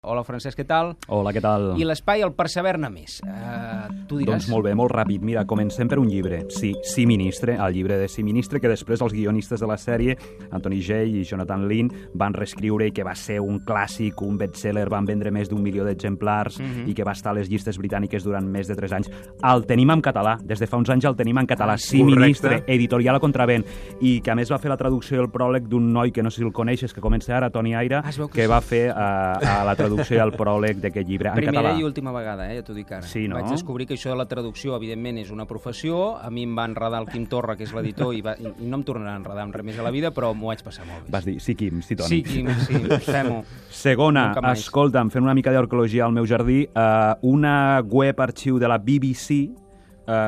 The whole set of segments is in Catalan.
Hola, Francesc, què tal? Hola, què tal? I l'espai, el persever-ne més. Tu diràs... Doncs molt bé, molt ràpid. Mira, comencem per un llibre. Sí, Ministre, el llibre de Sí, Ministre, que després els guionistes de la sèrie, Anthony Jay i Jonathan Lynn, van reescriure i que va ser un clàssic, un best-seller, van vendre més d'1 milió d'exemplars i que va estar a les llistes britàniques durant més de 3 anys. El tenim en català. Des de fa uns anys el tenim en català. Sí, Ministre, editorial a Contravent. I que a més va fer la traducció i el pròleg d'un noi que no sé si el coneixes, que comença ara, Toni Aira, que va fer a la traducció i el pròleg d'aquest llibre en català. Primera i última vegada, ja t'ho dic ara. Sí, no? Vaig descobrir que això de la traducció, evidentment, és una professió. A mi em va enredar el Quim Torra, que és l'editor, i no em tornarà a enredar amb res més a la vida, però m'ho vaig passar molt bé. Vas dir, sí, Quim, sí, Toni. Sí, Quim, sí, fem-ho. Segona, escolta'm, fent una mica d'arqueologia al meu jardí, una web arxiu de la BBC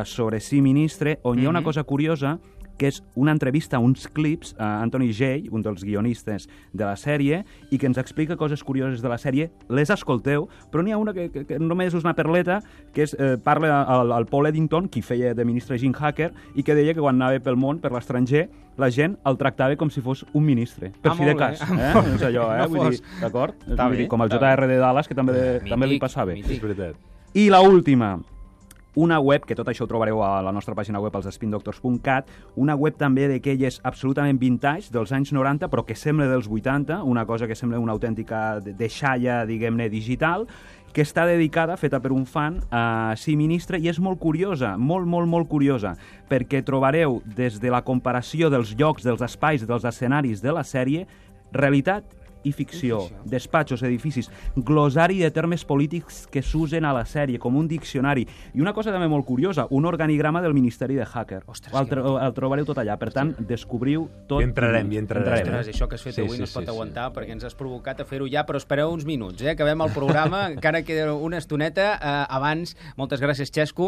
sobre Sí, Ministre, on hi ha una cosa curiosa, que és una entrevista, uns clips a Anthony Jay, un dels guionistes de la sèrie, i que ens explica coses curioses de la sèrie. Les escolteu, però n'hi ha una que només és una perleta, que és, parla al Paul Eddington, qui feia de ministre Jim Hacker, i que deia que quan anava pel món, per l'estranger, la gent el tractava com si fos un ministre, per fi de cas. No és allò, vull dir, d'acord? Com el JR de Dallas, que també li passava. És veritat. I l'última, una web, que tot això ho trobareu a la nostra pàgina web, als spindoctors.cat, una web també d'aquelles absolutament vintage, dels anys 90, però que sembla dels 80, una cosa que sembla una autèntica deixalla, diguem-ne, digital, que està dedicada, feta per un fan, a Sí, Ministre, i és molt curiosa, molt curiosa, perquè trobareu des de la comparació dels llocs, dels espais, dels escenaris de la sèrie, realitat i ficció, despatxos, edificis, glossari de termes polítics que s'usen a la sèrie, com un diccionari. I una cosa també molt curiosa, un organigrama del Ministeri de Hacker. El trobareu tot allà. Per tant, descobriu tot. I entrarem. Ostres, això que has fet avui no es pot aguantar, perquè ens has provocat a fer-ho ja, però espereu uns minuts, acabem el programa, encara queda una estoneta. Abans, moltes gràcies, Xesco.